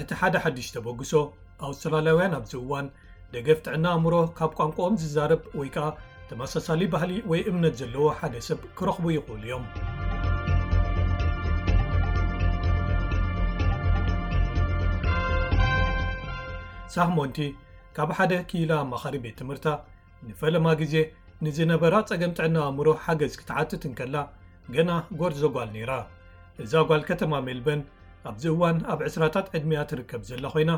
እቲ ሓደ ሓድሽ ተበግሶ፣ ኣውስትራልያውያን ኣብዚ እዋን ደገፍ ጥዕና ኣእምሮ ካብ ቋንቋኦም ዝዛረብ ወይ ከኣ ተመሳሳሊ ባህሊ ወይ እምነት ዘለዎ ሓደ ሰብ ክረኽቡ ይኽእሉ እዮም። ሳህሞንቲ ካብ ሓደ ክኢላ ኣማኻሪ ቤት ትምህርታ ንፈለማ ግዜ ንዝነበራ ጸገም ጥዕና ኣእምሮ ሓገዝ ክትሓትት እንከላ፣ ገና ጎርዞ ጓል ነይራ። እዛ ጓል ከተማ ሜልበርን ኣብዚ እዋን ኣብ ዕስራታት ዕድሚያ ትርከብ ዘላ ኮይና፣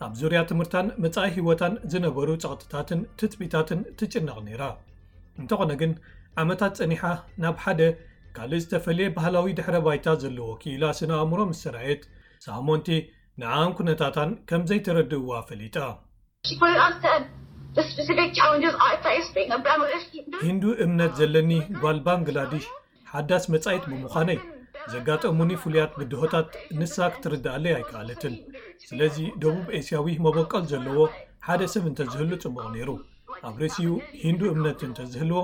ኣብ ዙርያ ትምህርታን መጻኢ ህይወታን ዝነበሩ ጸቕጥታትን ትጽቢታትን ትጭነቕ ነይራ። እንተኾነ ግን፣ ዓመታት ጸኒሓ ናብ ሓደ ካልእ ዝተፈልየ ባህላዊ ድሕረ ባይታ ዘለዎ ክኢላ ስነ ኣእምሮ ምስ ተራእየት፣ ሳህሞንቲ ንዓኣን ኩነታታን ከም ዘይተረድእዋ ፈሊጣ። She pointed out certain the specific challenges I face being a Bangladeshi. ሂንዱ እምነት ዘለኒ ጓል ባንግላዲሽ ሓዳስ መጻኢት ብምዃነይ፣ ዘጋጠሙኒ ፍሉያት ብድሆታት ንሳ ክትርድኣለይ ኣይከኣለትን። ስለዚ ደቡብ ኤስያዊ መበቆል ዘለዎ ሓደ ሰብ እንተዝህሉ ጽቡቕ ነይሩ። ኣብ ርእሲኡ ሂንዱ እምነት እንተዝህልዎ፣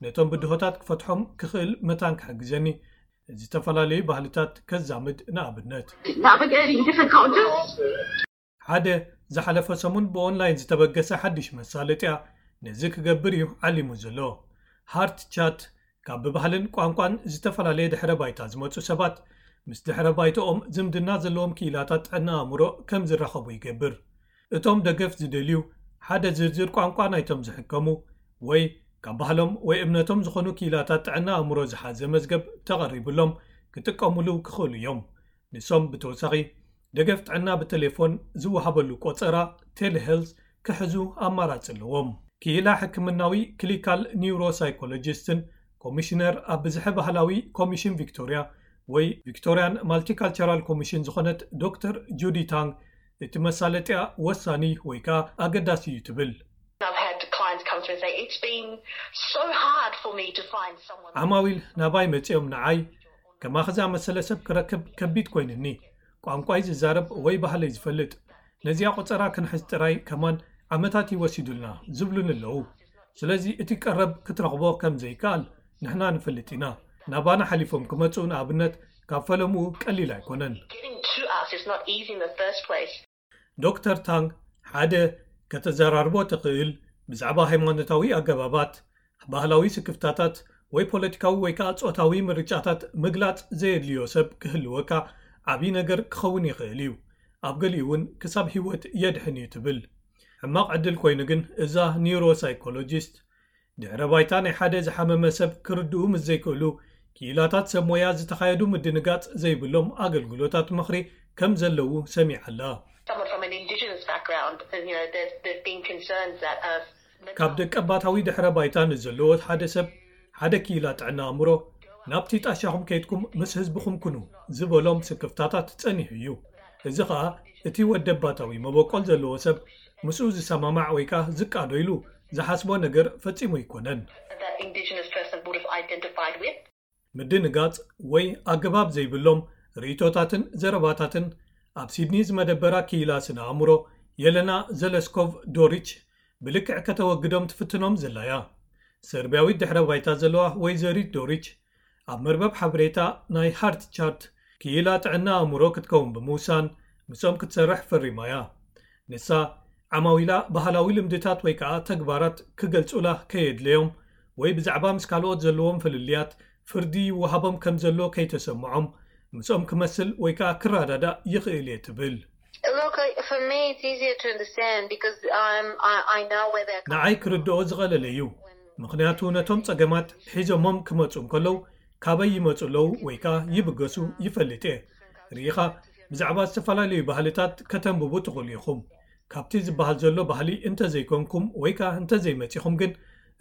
ነቶም ብድሆታት ክፈትሖም ክኽእል መታን ክሕግዘኒ፣ ዝተፈላለዩ ባህልታት ከዛምድ ንኣብነት። Navigating different cultures. ሓደ ዝሓለፈ ሰሙን ብኦንላይን ዝተበገሰ ሓድሽ መሳለጥያ ነዚ ክገብር እዩ ዓሊሙ ዘሎ። ሃርት ቻት ካብ ብባህልን ቋንቋን ዝተፈላለየ ድሕረ ባይታ ዝመጹ ሰባት ምስ ድሕረ ባይታኦም ዝምድና ዘለዎም ክኢላታት ጥዕና ኣእምሮ ከም ዝራኸቡ ይገብር። እቶም ደገፍ ዝደልዩ ሓደ ዝርዝር ቋንቋ ናይቶም ዝሕከሙ ወይ ካብ ባህሎም ወይ እምነቶም ዝኾኑ ክኢላታት ጥዕና ኣእምሮ ዝሓዘ መዝገብ ተቐሪብሎም ክጥቀሙሉ ክኽእሉ እዮም። ንሶም ብተወሳኺ ደገፍ ጥዕና ብቴሌፎን ዝወሃበሉ ቆጸራ ቴሌሄልዝ ክሕዙ ኣማራጺ ኣለዎም። ክኢላ ሕክምናዊ ክሊካል ኒውሮሳይኮሎጂስትን ኮሚሽነር ኣብ ብዝሐ ባህላዊ ኮሚሽን ቪክቶርያ ወይ ቪክቶርያን ማልቲካልቸራል ኮሚሽን ዝኾነት ዶክተር ጁዲ ታንግ፣ እቲ መሳለጥያ ወሳኒ ወይ ከኣ ኣገዳሲ እዩ ትብል። I've had clients come through and say, it's been so hard for me to find someone. ዓማዊል ናባይ መጺኦም ንዓይ ከማኺ ዝኣመሰለ ሰብ ክረክብ ከቢድ ኮይኑኒ። ቋንቋይ ዝዛረብ ወይ ባህለይ ዝፈልጥ። ነዚኣ ቆጸራ ክንሕዝ ጥራይ ከማን ዓመታት እዩ ወሲዱልና ዝብሉኒ ኣለዉ። ስለዚ እቲ ቀረብ ክትረኽቦ ከም ዘይከኣል ንሕና ንፈልጥ ኢና። ናባና ሓሊፎም ክመጹ ንኣብነት ካብ ፈለምኡ ቀሊል ኣይኮነን። Getting to us is not easy in the first place. ዶክተር ታንግ ሓደ ከተዘራርቦ ትኽእል ብዛዕባ ሃይማኖታዊ ኣገባባት፣ ባህላዊ ስክፍታታት ወይ ፖለቲካዊ ወይ ከኣ ጾታዊ ምርጫታት ምግላጽ ዘየድልዮ ሰብ ክህልወካ ዓቢ ነገር ክኸውን ይኽእል እዩ። ኣብ ገሊኡ እውን ክሳብ ህይወት የድሕን እዩ ትብል። ሕማቕ ዕድል ኮይኑ ግን እዛ ኒውሮሳይኮሎጂስት ድሕረ ባይታ ናይ ሓደ ዝሓመመ ሰብ ክርድኡ ምስ ዘይክእሉ ክኢላታት ሰብ ሞያ ዝተኻየዱ ምድንጋጽ ዘይብሎም ኣገልግሎታት ምኽሪ ከም ዘለዉ ሰሚዓ ኣላ። Someone from an indigenous background, you know, there's, there's been concerns that uh, ካብ ደቀባታዊ ድሕረ ባይታ ንዘለዎ ሓደ ሰብ ሓደ ክኢላ ጥዕና ኣእምሮ ናብቲ ጣሻኹም ከይድኩም ምስ ህዝብኹም ኩኑ ዝበሎም ስክፍታታት ጸኒሑ እዩ። እዚ ኸኣ እቲ ወደባታዊ መበቆል ዘለዎ ሰብ ምስኡ ዝሰማማዕ ወይ ከኣ ዝቃዶ ኢሉ ዝሓስቦ ነገር ፈጺሙ ኣይኮነን። that indigenous person would have identified with. ምድንጋጽ ወይ ኣገባብ ዘይብሎም ርእይቶታትን ዘረባታትን ኣብ ሲድኒ ዝመደበራ ክኢላ ስነ ኣእምሮ የለና ዘለስኮቭ ዶሪች ብልክዕ ከተወግዶም ትፍትኖም ዘላ እያ። ሰርቢያዊት ድሕረ ባይታ ዘለዋ ወይዘሪት ዶሪች ኣብ መርበብ ሓበሬታ ናይ ሃርት ቻርት ክኢላ ጥዕና ኣእምሮ ክትከውን ብምውሳን ምስኦም ክትሰርሕ ፈሪማ እያ። ንሳ ዓማዊላ ባህላዊ ልምድታት ወይ ከኣ ተግባራት ክገልጹላ ከየድለዮም ወይ ብዛዕባ ምስ ካልኦት ዘለዎም ፍልልያት ፍርዲ ይወሃቦም ከም ዘሎ ከይተሰምዖም ምስኦም ክመስል ወይ ከኣ ክረዳዳእ ይኽእል እየ ትብል። Look, I- for me, it's easier to understand because I'm, I, I know where they're coming ንዓይ ክርድኦ ዝቐለለ እዩ። ምኽንያቱ ነቶም ጸገማት ሒዞሞም ክመጹ እንከለዉ ካበይ ይመጹ ኣለዉ ወይ ከኣ ይብገሱ ይፈልጥ እየ። ርኢኻ ብዛዕባ ዝተፈላለዩ ባህልታት ከተንብቡ ትኽእሉ ኢኹም። ካብቲ ዝበሃል ዘሎ ባህሊ እንተዘይኮንኩም ወይ ከኣ እንተዘይመጺኹም ግን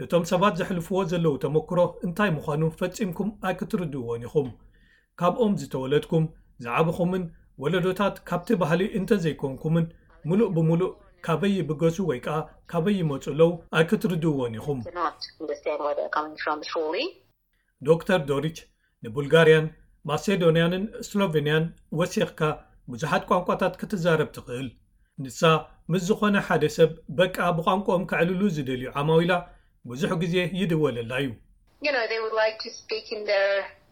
እቶም ሰባት ዘሕልፍዎ ዘለዉ ተመክሮ እንታይ ምዃኑ ፈጺምኩም ኣይክትርድእዎን ኢኹም። ካብኦም ዝተወለድኩም ዝዓበኹምን ወለዶታት ካብቲ ባህሊ እንተዘይኮንኩምን ምሉእ ብምሉእ ካበይ ይብገሱ ወይ ከኣ ካበይ ይመጹ ኣለዉ ኣይክትርድእዎን ኢኹም። to not understand where they're coming from fully. ዶክተር ዶሪች ንቡልጋርያን ማሴዶንያንን ስሎቬንያን ወሲኽካ ብዙሓት ቋንቋታት ክትዛረብ ትኽእል። ንሳ ምስ ዝኾነ ሓደ ሰብ በቃ ብቋንቋኦም ከዕልሉ ዝደልዩ ዓማዊላ ብዙሕ ግዜ ይድወለላ እዩ። You know, they would like to speak in their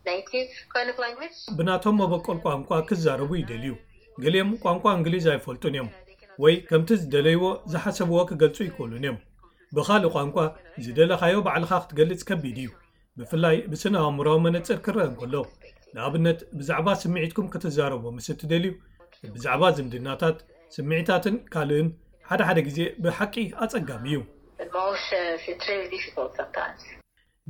native kind of language. ብናቶም መበቆል ቋንቋ ክዛረቡ ይደልዩ። ገሊኦም ቋንቋ እንግሊዝ ኣይፈልጡን እዮም፣ ወይ ከምቲ ዝደለይዎ ዝሓሰብዎ ክገልጹ ይክእሉን እዮም። ብኻልእ ቋንቋ ዝደለኻዮ ባዕልኻ ክትገልጽ ከቢድ እዩ። ብፍላይ ብስነ ኣእምሮዊ መነጽር ክረአ እንከሎ፣ ንኣብነት ብዛዕባ ስምዒትኩም ክትዛረቡ ምስ እትደልዩ፣ ብዛዕባ ዝምድናታት፣ ስምዒታትን ካልእን ሓደ ሓደ ግዜ ብሓቂ ኣጸጋሚ እዩ። But most uh, it's really difficult sometimes.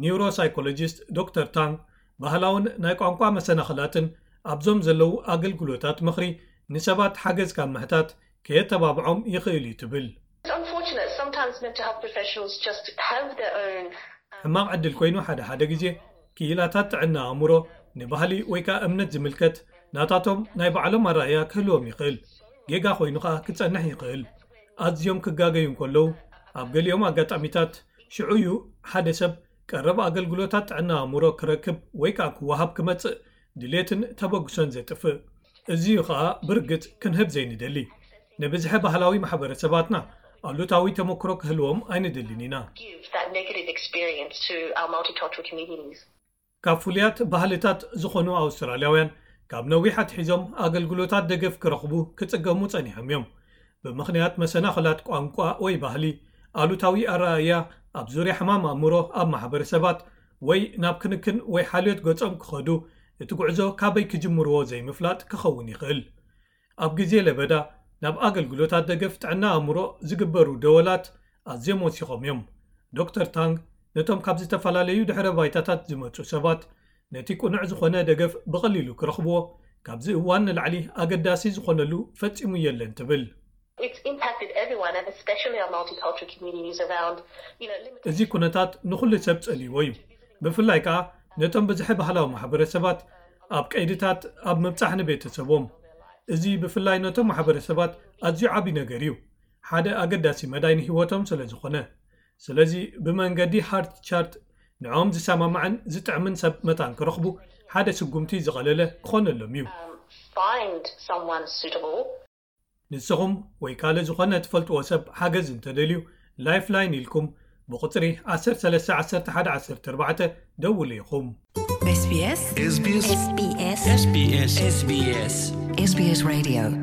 ኒውሮሳይኮሎጂስት ዶክተር ታንግ ባህላውን ናይ ቋንቋ መሰናኽላትን ኣብዞም ዘለዉ ኣገልግሎታት ምኽሪ ንሰባት ሓገዝ ካብ ምሕታት ከየተባብዖም ይኽእል እዩ ትብል። It's unfortunate. Sometimes mental health professionals just have their own. ሕማቕ ዕድል ኮይኑ ሓደ ሓደ ግዜ ክኢላታት ጥዕና ኣእምሮ ንባህሊ ወይ ከዓ እምነት ዝምልከት ናታቶም ናይ ባዕሎም ኣረኣእያ ክህልዎም ይኽእል። ጌጋ ኮይኑ ከዓ ክጸንሕ ይኽእል። ኣዝዮም ክጋገዩ እንከለዉ ኣብ ገሊኦም ኣጋጣሚታት ሽዑ እዩ ሓደ ሰብ ቀረብ ኣገልግሎታት ጥዕና ኣእምሮ ክረክብ ወይ ከዓ ክወሃብ ክመጽእ ድሌትን ተበግሶን ዘጥፍእ። እዚዩ ከዓ ብርግጽ ክንህብ ዘይንደሊ። ንብዝሒ ባህላዊ ማሕበረሰባትና ኣሉታዊ ተመክሮ ክህልዎም ኣይንደልን ኢና። Give that negative experience to our multicultural communities. ካብ ፍሉያት ባህልታት ዝኾኑ ኣውስትራልያውያን ካብ ነዊሕ ኣትሒዞም ኣገልግሎታት ደገፍ ክረኽቡ ክጽገሙ ጸኒሖም እዮም። ብምኽንያት መሰናኽላት ቋንቋ ወይ ባህሊ ኣሉታዊ ኣረኣእያ ኣብ ዙርያ ሕማም ኣእምሮ ኣብ ማሕበረሰባት ወይ ናብ ክንክን ወይ ሓልዮት ገጾም ክኸዱ እቲ ጉዕዞ ካበይ ክጅምርዎ ዘይምፍላጥ ክኸውን ይኽእል። ኣብ ግዜ ለበዳ ናብ ኣገልግሎታት ደገፍ ጥዕና ኣእምሮ ዝግበሩ ደወላት ኣዝዮም ወሲኾም እዮም። ዶክተር ታንግ ነቶም ካብ ዝተፈላለዩ ድሕረ ባይታታት ዝመጹ ሰባት ነቲ ቅኑዕ ዝኾነ ደገፍ ብቐሊሉ ክረኽብዎ ካብዚ እዋን ንላዕሊ ኣገዳሲ ዝኾነሉ ፈጺሙ የለን ትብል። It's impacted everyone, and especially our multicultural communities around, you know, limited. እዚ ኩነታት ንኹሉ ሰብ ጸልይዎ እዩ። ብፍላይ ከኣ ነቶም ብዝሒ ባህላዊ ማሕበረሰባት ኣብ ቀይድታት ኣብ ምብጻሕ ንቤተሰቦም። እዚ ብፍላይ ነቶም ማሕበረሰባት ኣዝዩ ዓቢ ነገር እዩ። ሓደ ኣገዳሲ መዳይ ንህይወቶም ስለ ዝኾነ። ስለዚ ብመንገዲ ሃርት ቻርት ንዕኦም ዝሰማማዕን ዝጥዕምን ሰብ መታን ክረኽቡ ሓደ ስጉምቲ ዝቐለለ ክኾነሎም እዩ። Find someone suitable. ንስኹም ወይ ካልእ ዝኾነ ትፈልጥዎ ሰብ ሓገዝ እንተደልዩ ላይፍላይን ኢልኩም ብቁጽሪ ዓሰርተ ሰለስተ ዓሰርተ ሓደ ዓሰርተ ኣርባዕተ ደውሉ ኢኹም። SBS SBS SBS SBS SBS SBS Radio